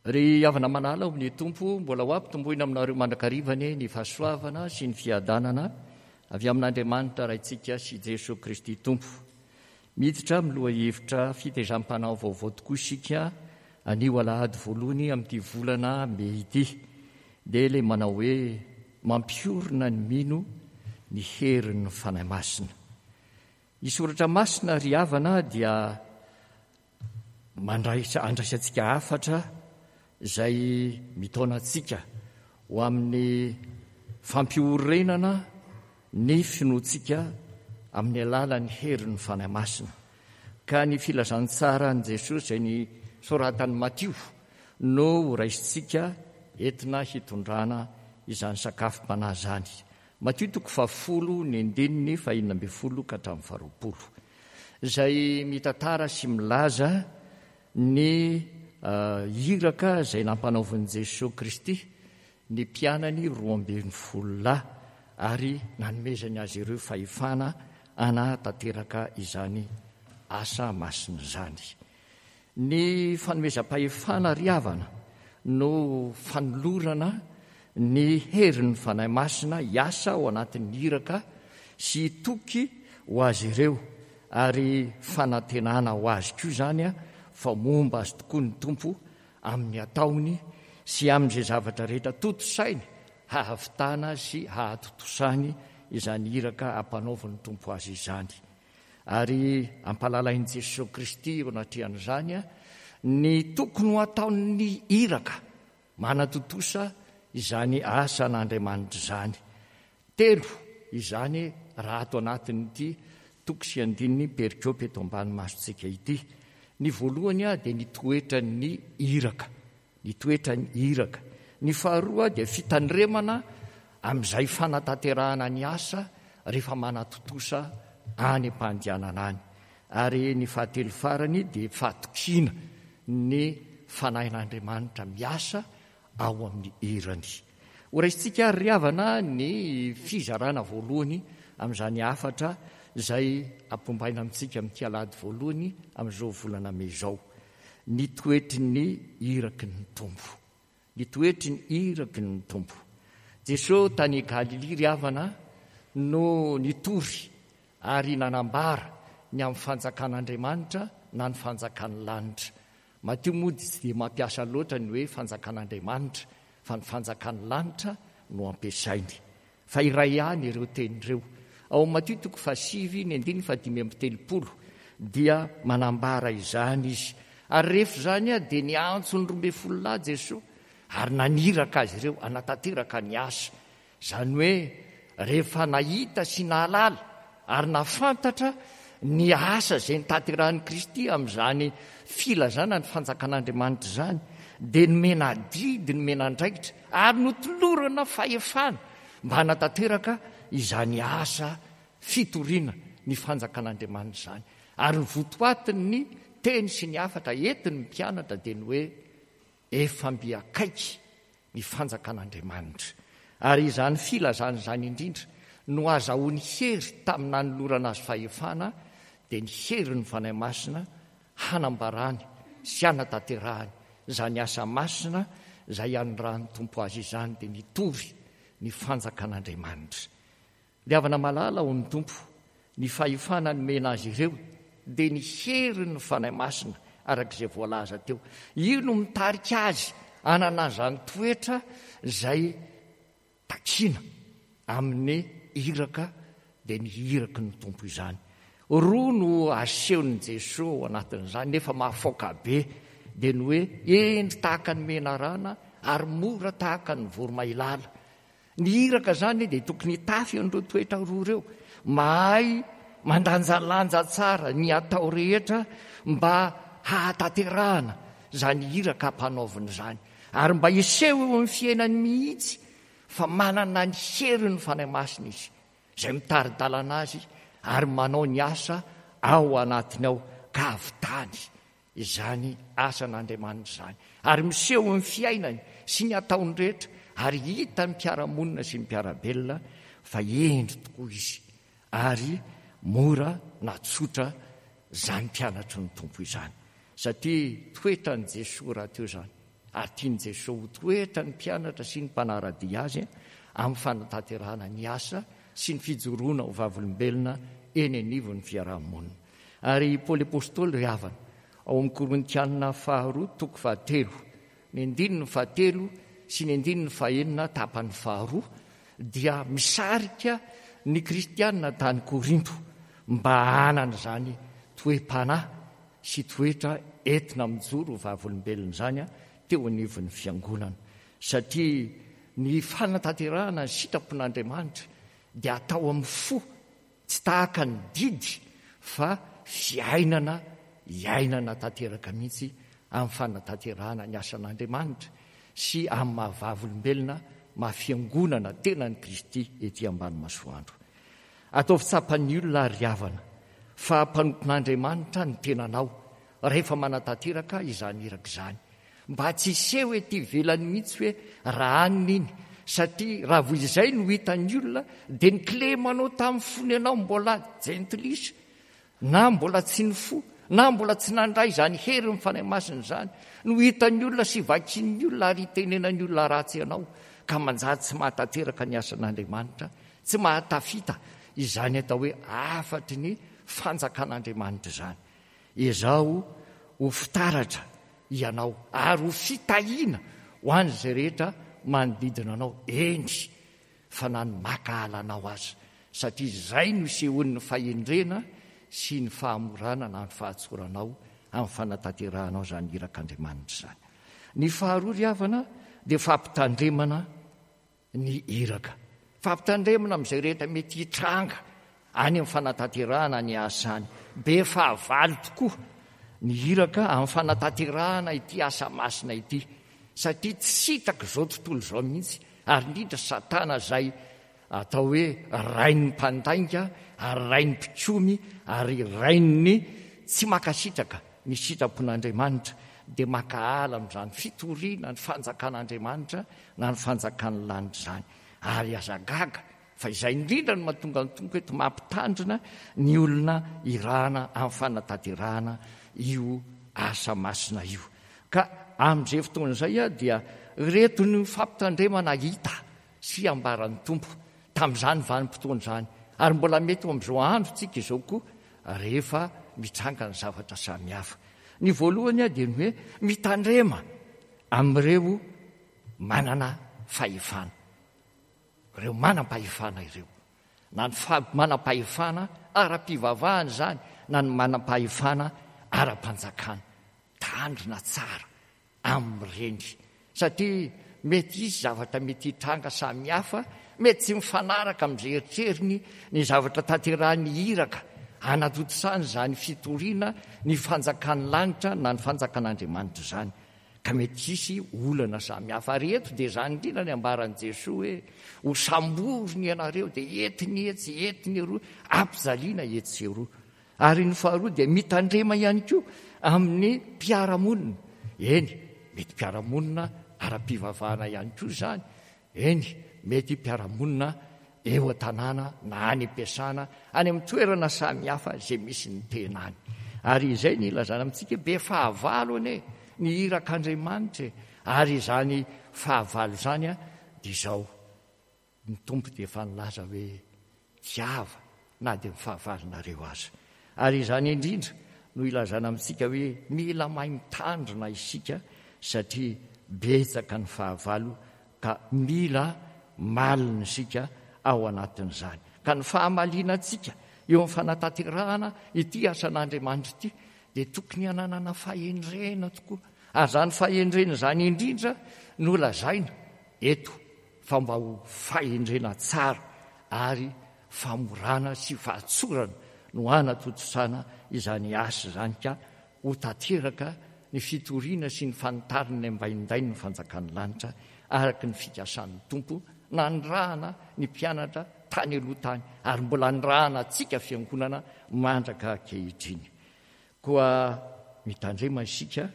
Ry havana malala ao amin'ny Tompo, mbola ho ampitomboina aminareo mandrakariva anie ny fahasoavana sy ny fiadanana avy amin'Andriamanitra Raintsika sy Jesoa Kristy Tompo. Miditra amin'ny lohahevitra fitezam-panahy vaovao tokoa isika anio alahady voalohany amin'ity volana mey ity. Dia ilay manao hoe mampiorina ny mino ny herin'ny Fanahy Masina. Ny Soratra Masina ry havana dia mandray andraisantsika hafatra izay mitaona antsika ho amin'ny fampiorenana ny finoantsika amin'ny alalan'ny herin'ny Fanahy Masina. Ka ny filazantsaran'i Jesosy izay ny soratan'i Matio no horaisintsika entina hitondrana izany sakafom-panahy izany. Matio toko fahafolo ny andininy fahenina ambin'ny folo ka hatramin'ny faharoapolo, izay mitantara sy milaza ny iraka izay nampanaovin'i Jesoa Kristy ny mpianany 12 lahy ary nanomezany azy ireo fahefana hanatanteraka izany asa masina izany. Ny fanomezam-pahefana ry havana no fanolorana ny herin'ny Fanahy Masina hiasa ao anatin'ny iraka sy hitoky ho azy ireo ary fanantenana ho azy koa izany fa momba azy tokoa ny Tompo amin'ny ataony sy amin'izay zavatra rehetra tontosainy hahavitana sy hahatontosany izany iraka ampanaovin'ny Tompo azy izany. Ary ampalalain'i Jesoa Kristy eo anatrehan'izany ny tokony ho ataon'ny iraka manatontosa izany asan'Andriamanitra izany. Telo izany raha ato anatin'ity toko sy andininy perikopa eto ambany masontsika ity. Ny voalohany dia ny toetran'ny iraka. Ny toetran'ny iraka. Ny faharoa dia fitandremana amin'izay fanatanterahana ny asa rehefa manatontosa any am-pandianana any. Ary ny fahatelo farany dia fahatokiana ny Fanahin'Andriamanitra miasa ao amin'ny irany. Horaisintsika ary ry havana ny fizarana voalohany amin'izany hafatra izay ampombaina amintsika amin'ity alahady voalohany amin'izao volana mey izao. Ny toetry ny iraky ny Tompo. Ny toetry ny iraky ny Tompo. Jesosy tany Galilia ry havana no nitory ary nanambara ny amin'ny fanjakan'Andriamanitra na ny fanjakan'ny lanitra. Matio moa dia tsy dia mampiasa loatra ny hoe fanjakan'Andriamanitra fa ny fanjakan'ny lanitra no ampiasainy. Fa iray ihany ireo teny ireo. Ao amin'ny Matio toko fahasivy, ny andininy fahadimy amby telopolo, dia manambara izany izy. Ary rehefa izany dia niantso ny 12 lahy Jesoa ary naniraka azy ireo hanatanteraka ny asa. Izany hoe rehefa nahita sy nahalala ary nahafantatra ny asa izay notanterahin'i Kristy amin'izany filazana ny fanjakan'Andriamanitra izany, dia nomena adidy, nomena andraikitra ary notolorana fahefana mba hanatanteraka izany asa fitoriana ny fanjakan'Andriamanitra izany. Ary ny votoatin'ny teny sy ny hafatra entin'ny mpianatra dia ny hoe Efa mby akaiky ny fanjakan'Andriamanitra. Ary izany filazana izany indrindra no azahoany hery tamin'ny nanolorana azy fahefana, dia ny herin'ny Fanahy Masina hanambarany sy hanatanterahany izany asa masina izay anirahan'ny Tompo azy izany, dia mitory ny fanjakan'Andriamanitra. Ry havana malala ao amin'ny Tompo, ny fahefana nomena azy ireo dia ny herin'ny Fanahy Masina, araka izay voalaza teo. Io no mitarika azy hanana izany toetra izay takiana amin'ny iraka, dia ny iraky ny Tompo izany. Roa no asehon'i Jesoa ao anatin'izany, nefa mahafaoka be, dia ny hoe hendry tahaka ny menarana ary mora tahaka ny voromailala. Ny iraka izany dia tokony hitafy an'ireo toetra roa ireo. Mahay mandanjalanja tsara ny atao rehetra mba hahatanterahana izany iraka ampanaovina izany. Ary mba hiseho eo amin'ny fiainany mihitsy fa manana ny herin'ny Fanahy Masina izy, izay mitari-dalana azy ary manao ny asa ao anatiny ao ka hahavitany izany asan'Andriamanitra izany, ary miseho amin'ny fiainany sy ny ataony rehetra, ary hitan'ny mpiara-monina sy ny mpiara-belona fa hendry tokoa izy, ary mora na tsotra izany mpianatry ny Tompo izany, satria toetran'i Jesoa rahateo izany. Ary tian'i Jesoa ho toetra ny mpianatra sy ny mpanara-dia Azy amin'ny fanatanterahana ny asa sy ny fijoroana ho vavolombelona eny anivon'ny fiaraha-monina. Ary i Paoly Apostoly ry havana, ao amin'ny Korintiana faharoa toko fahatelo, ny andininy fahatelo sy ny andininy fahenina tapany faharoa, dia misarika ny kristiana tany Korinto mba hanana izany toe-panahy sy toetra entina mijoro ho vavolombelona izany teo anivon'ny fiangonana. Satria ny fanatanterahana ny sitrapon'Andriamanitra dia atao amin'ny fo, tsy tahaka ny didy fa fiainana iainana tanteraka mihitsy amin'ny fanatanterahana ny asan'Andriamanitra sy amin'ny maha vavolombelona maha fiangonana tenan'i Kristy ety ambany masoandro. Ataovy tsapan'ny olona ry havana fa mpanompon'Andriamanitra ny tenanao rehefa manatanteraka izany iraka izany. Mba tsy hiseho ety ivelany mihitsy hoe raha anona iny, satria raha vao izay no hitan'ny olona dia ny kilemanao tamin'ny fony ianao mbola jentilisa na mbola tsy nifoha na mbola tsy nandray izany herin'ny Fanahy Masina izany no hitan'ny olona sy vakian'ny olona ary hitenenan'ny olona ratsy anao ka manjary tsy mahatanteraka ny asan'Andriamanitra, tsy mahatafita izany atao hoe hafatry ny fanjakan'Andriamanitra izany. Ezaho ho fitaratra ianao ary ho fitahiana ho an'izay rehetra manodidina anao, eny fa na ny mankahala anao aza, satria izay no isehoan'ny fahendrena sy ny fahamorana na ny fahatsoranao amin'ny fanatanterahanao izany irak'Andriamanitra izany. Ny faharoa ry havana dia fampitandremana ny iraka. Fampitandremana amin'izay rehetra mety hitranga any amin'ny fanatanterahana ny asa any. Be fahavalo tokoa ny iraka amin'ny fanatanterahana ity asa masina ity, satria tsy sitrak'izao tontolo izao mihitsy, ary indrindra Satana izay atao hoe rain'ny mpandainga ary rain'ny mpikomy ary rain'ny tsy mankasitraka ny sitrapon'Andriamanitra, dia mankahala amin'izany fitoriana ny fanjakan'Andriamanitra na ny fanjakan'ny lanitra izany. Ary aza gaga fa izay indrindra no mahatonga ny Tompo eto mampitandrina ny olona irahana amin'ny fanatanterahana io asa masina io. Ka amin'izay fotoana izay dia ireto ny fampitandremana hita sy ambaran'ny Tompo tamin'izany vanim-potoana izany, ary mbola mety ho amin'izao androntsika izao koa rehefa mitranga ny zavatra samihafa. Ny voalohany dia ny hoe mitandrema amin'ireo manana fahefana, ireo manam-pahefana ireo, na ny manam-pahefana ara-pivavahana izany na ny manam-pahefana ara-panjakana. Tandrina tsara amin'ireny satria mety hisy zavatra mety hitranga samihafa, mety tsy mifanaraka amin'izay eritreriny ny zavatra tanterahin'ny iraka hanatontosana izany fitoriana ny fanjakan'ny lanitra na ny fanjakan'Andriamanitra izany ka mety hisy olana samihafa. Ary eto dia izany indrindra ny ambaran'i Jesoa hoe ho samboriny ianareo dia entiny etsy, entiny eroa, ampijaliana etsy sy eroa. Ary ny faharoa dia mitandrema ihany koa amin'ny mpiara-monina. Eny, mety mpiara-monina ara-pivavahana ihany koa izany. Eny, mety mpiara-monina eo an-tanàna na any am-piasana, any amin'ny toerana samihafa izay misy ny tena any. Ary izay ny ilazana amintsika be fahavalo anie ny irak'Andriamanitra e. Ary izany fahavalo izany dia izao. Ny Tompo dia efa nilaza hoe, Tiava na dia ny fahavalonareo aza. Ary izany indrindra no ilazana amintsika hoe mila mahay mitandrina isika satria betsaka ny fahavalo ka mila malina isika ao anatin'izany. Ka ny fahamalinantsika eo amin'ny fanatanterahana ity asan'Andriamanitra ity dia tokony hananana fahendrena tokoa. Ary izany fahendrena izany indrindra no lazaina eto fa mba ho fahendrena tsara ary famorana sy fahatsorana no hanatontosana izany asa izany ka ho tanteraka ny fitoriana sy ny fanitarina ny ambaindain'ny fanjakan'ny lanitra araka ny fikasan'ny Tompo nanirahana ny mpianatra tany aloha tany ary mbola anirahana antsika fiangonana mandraka ankehitriny. Koa mitandrema isika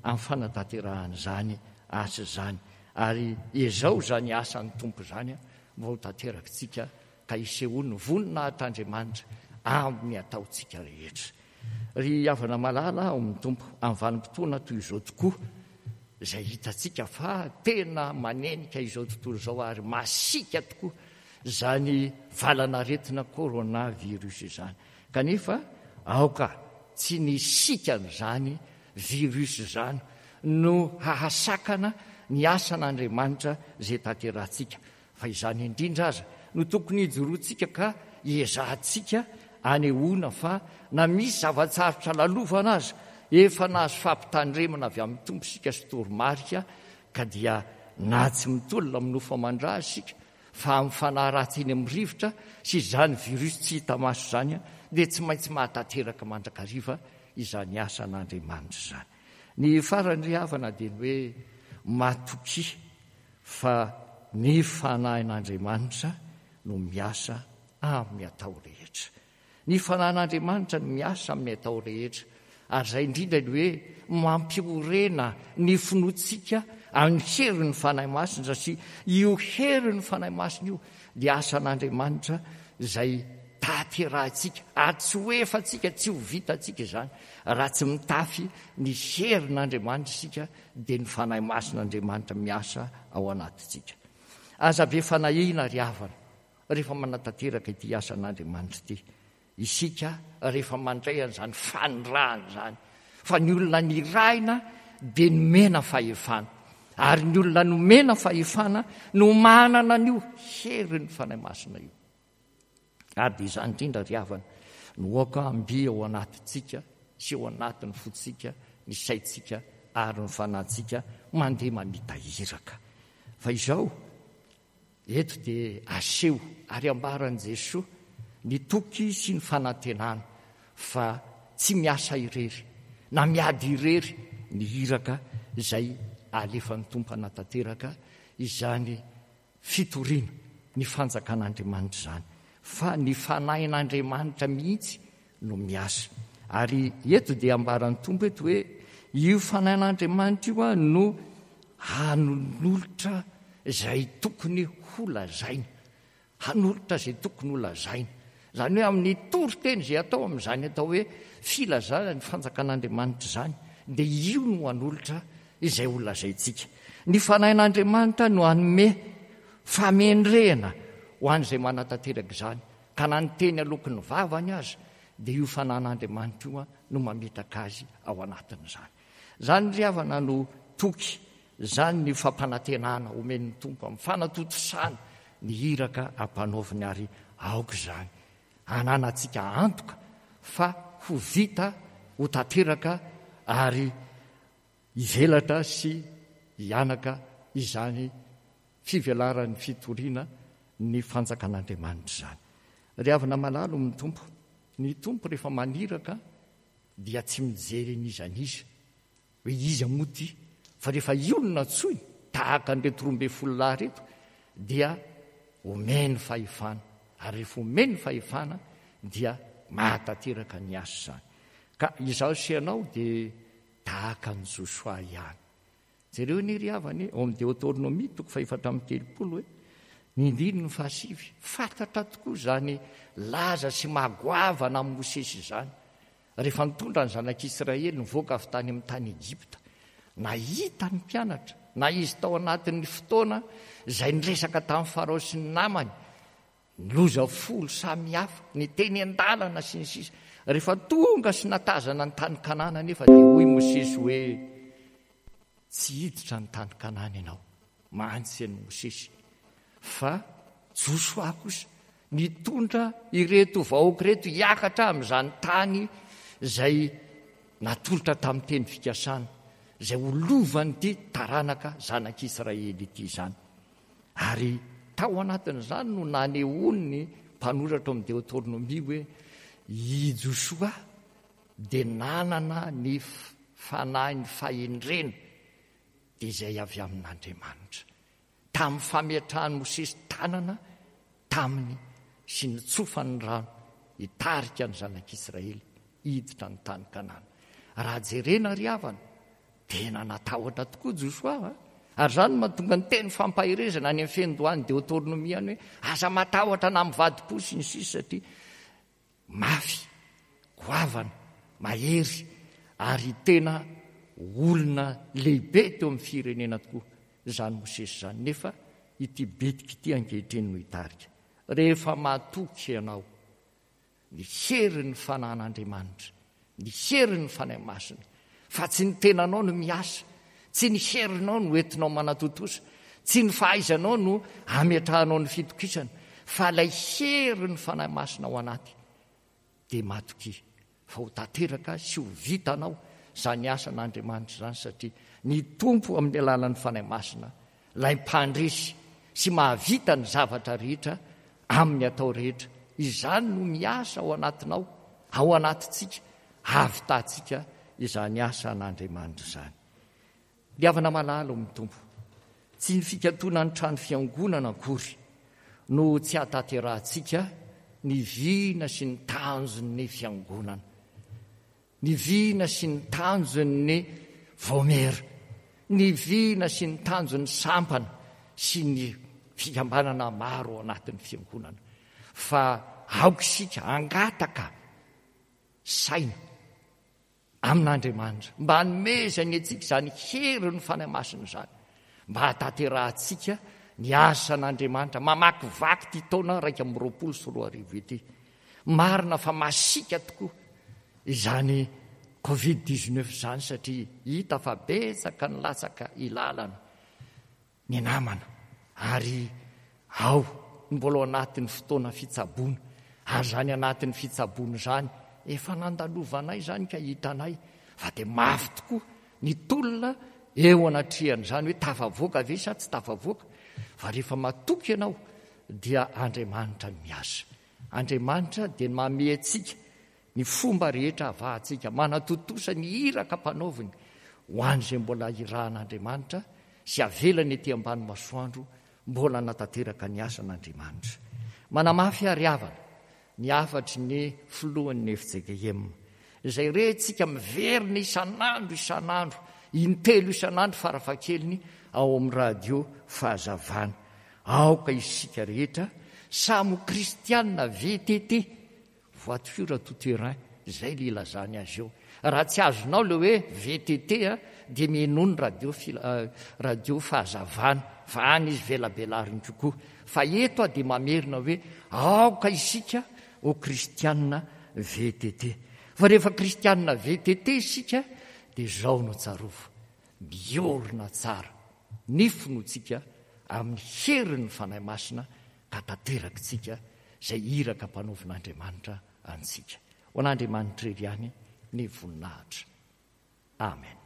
amin'ny fanatanterahana izany asa izany, ary ezao izany asan'ny Tompo izany mba ho tanterakitsika ka hisehoan'ny voninahitr'Andriamanitra amin'ny ataontsika rehetra. Ry havana malala ao amin'ny Tompo, amin'ny vanim-potoana toy izao tokoa, izay hitantsika fa tena manenika izao tontolo izao ary masiaka tokoa izany valan'aretina corona virus izany. Kanefa aoka tsy ny sikan'izany virus izany no hahasakana ny asan'Andriamanitra izay tanterahantsika Fa izany indrindra aza no tokony hijoroantsika ka hiezahantsika anehoana fa na misy zava-tsarotra lalovana aza, efa nahazo fampitandremana avy amin'ny Tompo isika sy toromarika ka dia na tsy mitolona amin'ny nofo aman-dra aza isika fa amin'ny fanahy ratsy eny amin'ny rivotra sy izany virus tsy hita maso izany dia tsy maintsy mahatanteraka mandrakariva izany asan'Andriamanitra izany. Ny farany ry havana dia ny hoe matokia Fa ny Fanahin'Andriamanitra no miasa amin'ny atao rehetra. Ny Fanahin'Andriamanitra no miasa amin'ny atao rehetra. Ary izay indrindra ny hoe mampiorena ny finoantsika amin'ny herin'ny Fanahy Masina, satria io herin'ny Fanahy Masina io dia asan'Andriamanitra izay tanterahintsika, ary tsy ho efantsika, tsy ho vitantsika izany raha tsy mitafy ny herin'Andriamanitra isika dia ny Fanahy Masin'Andriamanitra miasa ao anatintsika. Aza be fanahiana ry havana rehefa manatanteraka ity asan'Andriamanitra ity. Isika rehefa mandray an'izany fanirahana izany, fa ny olona nirahina dia nomena fahefana. Ary ny olona nomena fahefana no manana an'io herin'ny Fanahy Masina io. Ary dia izany indrindra ry havana no aoka hamby ao anatintsika sy ao anatin'ny fontsika, ny saintsika ary ny fanahintsika mandeha mamita iraka. Fa izao, eto dia aseho ary ambaran'i Jesoa ny toky sy ny fanantenana fa tsy miasa irery na miady irery ny iraka izay alefan'ny Tompo hanatanteraka izany fitoriana ny fanjakan'Andriamanitra izany, fa ny Fanahin'Andriamanitra mihitsy no miasa. Ary eto dia ambaran'ny Tompo eto hoe io Fanahin'Andriamanitra io no hanolotra izay tokony holazaina. Hanolotra izay tokony holazaina. Izany hoe amin'ny toriteny izay atao amin'izany atao hoe filazana ny fanjakan'Andriamanitra izany, dia io no hanolotra izay ho lazaintsika. Ny Fanahin'Andriamanitra no hanome famendrehana ho an'izay manatanteraka izany, ka na ny teny aloaky ny vavany aza, dia io Fanahin'Andriamanitra io no mametaka azy ao anatin'izany. Izany ry havana no toky, izany ny fampanantenana omen'ny Tompo amin'ny fanatontosana ny iraka ampanaoviny ary aoka izany hananantsika antoka fa ho vita, ho tanteraka ary hivelatra sy hianaka izany fivelaran'ny fitoriana ny fanjakan'Andriamanitra izany. Ry havana malalo amin'ny Tompo, ny Tompo rehefa maniraka dia tsy mijery an'iza n'iza hoe iza moa ity fa rehefa io no nantsoiny tahaka an'ireto 12 lahy ireto dia omeny fahefana ary rehefa omeny fahefana dia mahatanteraka ny asa izany. Ka izaho sy ianao dia tahaka an'i Josoa ihany. Jereo anie ry havana e, ao amin'ny Deotornomia toko faha-34 hoe, ny andininy fahasivy, fantatra tokoa izany laza sy maha-goavana amin'i Mosesy izany, rehefa nitondra ny zanak'Israely nivoaka avy tany amin'ny tany Egypta. Nahita ny mpianatra, na izy tao anatin'ny fotoana izay niresaka tamin'i Farao sy ny namany, Ny loza folo samihafa, ny teny an-dalana, sy ny sisa Rehefa tonga sy natazana ny tany Kanana anefa dia hoy Mosesy hoe, Tsy hiditra ny tany Kanana ianao, mantsy an'i Mosesy, fa Josoa kosa nitondra ireto vahoaka ireto hiakatra amin'izany tany izay natolotra tamin'ny teny fikasana, izay ho lovan'ity taranaka zanak'Israely ity izany. Ary tao anatin'izany no nanehoan'ny mpanoratra ao amin'ny Deotornomia hoe i Josoa dia nanana ny fanahin'ny fahendrena, dia izay avy amin'Andriamanitra. Tamin'ny fametrahan'i Mosesy tanana taminy sy nitsofany ny rano hitarika ny zanak'Israely hiditra ny tany Kanana. Raha jerena ry havana, Tena natahotra tokoa Josoa a! Ary izany no mahatonga ny teny fampaherezana any amin'ny fiandohan'ny Deotornomia any hoe aza matahotra na mivadi-po sy ny sisa satria mafy, goavana, mahery ary tena olona lehibe teo amin'ny firenena tokoa izany Mosesy izany, nefa ity bitika ity ankehitriny no hitarika. Rehefa matoky ianao ny herin'ny Fanahin'Andriamanitra, ny herin'ny Fanahy Masina, fa tsy ny tenanao no miasa, tsy ny herinao no entinao manatontosa, tsy ny fahaizanao no ametrahanao ny fitokisana, fa ilay herin'ny Fanahy Masina ao anaty, dia matokia fa ho tanteraka sy ho vitanao izany asan'Andriamanitra izany satria ny Tompo amin'ny alalan'ny Fanahy Masina ilay mpandresy sy mahavita ny zavatra rehetra amin'ny atao rehetra. Izany no miasa ao anatinao, ao anatintsika, hahavitantsika izany asan'Andriamanitra izany. Ry havana malala ao amin'ny Tompo, tsy ny fikatonan'ny trano fiangonana akory no tsy hahatanterahantsika ny vina sy ny tanjon'ny fiangonana. Ny vina sy ny tanjon'ny vaomiera, ny vina sy ny tanjon'ny sampana sy ny fikambanana maro ao anatin'ny fiangonana. Fa aoka isika hangataka saina amin'Andriamanitra mba hanomezany antsika izany herin'ny Fanahy Masina izany mba hahatanterahantsika ny asan'Andriamanitra mamakivaky ity taona 2021 ity. Marina fa masiaka tokoa izany Covid 19 izany satria hita fa betsaka ny latsaka ilalana ny namana ary ao ny mbola ao anatin'ny fotoana fitsaboana ary izany anatin'ny fitsaboana izany efa nandalovanay izany ka hitanay fa dia mafy tokoa ny tolona eo anatrehan'izany hoe tafavoaka ve sa tsy tafavoaka fa rehefa matoky ianao dia Andriamanitra no miasa. Andriamanitra dia manome antsika ny fomba rehetra havahantsika manatontosa ny iraka ampanaoviny ho an'izay mbola irahan'Andriamanitra sy avelany ety ambany masoandro mbola hanatanteraka ny asan'Andriamanitra. Manamafy ary havana ny hafatry ny filohan'ny fjkm izay rentsika miverina isan'andro isan'andro, intelo isan'andro farafahakeliny ao amin'ny radio Fahazavana. Aoka isika rehetra samy ho kristianina VTT, voiture tout terrain, izay le ilazany azy eo. Raha tsy azonao le hoe VTT dia mihainoa ny radio radio fahazavana fa any izy velabelariny kokoa. Fa eto aho dia mamerina hoe aoka isika ho kristianina VTT. Fa rehefa kristianina VTT isika dia izao no tsarovy, miorina tsara ny finoantsika amin'ny herin'ny Fanahy Masina ka tanterakitsika izay iraka ampanaovin'Andriamanitra antsika. Ho an'Andriamanitra irery ihany ny voninahitra. Amen.